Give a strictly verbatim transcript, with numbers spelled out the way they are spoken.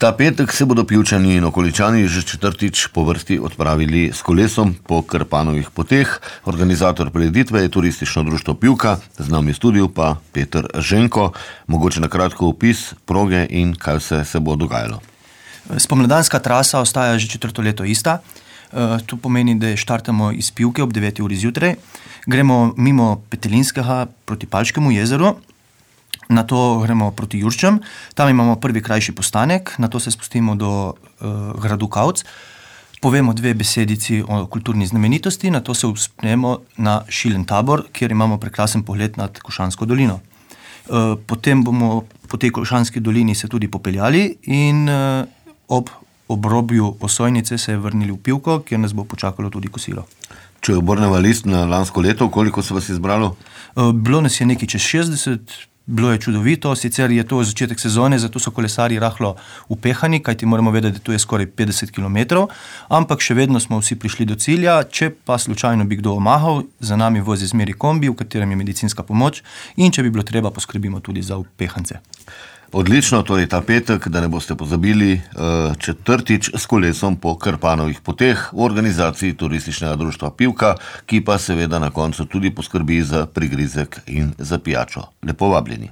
Ta petek se bodo Pivčani in okoličani že četrtič po vrsti odpravili s kolesom po Krpanovih poteh. Organizator prireditve je Turistično društvo Pivka, z nami v studiu pa Peter Ženko. Mogoče na kratko opis proge in kaj vse se bo dogajalo. Spomladanska trasa ostaja že četrto leto ista. To pomeni, da štartamo iz Pivke ob deveti uri zjutraj, gremo mimo Petelinskega proti Palškemu jezeru, nato gremo proti Jurčem, tam imamo prvi krajši postanek, nato se spustimo do uh, gradu Kavc, povemo dve besedici o kulturni znamenitosti, nato se uspnemo na Šilen tabor, kjer imamo prekrasen pogled nad Košansko dolino. Uh, potem bomo po tej Košanski dolini se tudi popeljali in uh, ob obrobju Osojnice se je vrnili v Pivko, kjer nas bo počakalo tudi kosilo. Če obrneva list na lansko leto, koliko se vas je zbralo? Uh, bilo nas je nekaj čez šestdeset, bilo je čudovito, sicer je to začetek sezone, zato so kolesarji rahlo upehani, kajti moramo vedeti, da to je skoraj petdeset kilometrov, ampak še vedno smo vsi prišli do cilja. Če pa slučajno bi kdo omahal, za nami vozi zmeri kombi, v katerem je medicinska pomoč, in če bi bilo treba, poskrbimo tudi za upehance. Odlično, torej ta petek, da ne boste pozabili, četrtič s kolesom po Krpanovih poteh v organizaciji Turističnega društva Pivka, ki pa seveda na koncu tudi poskrbi za prigrizek in za pijačo. Lepo vabljeni.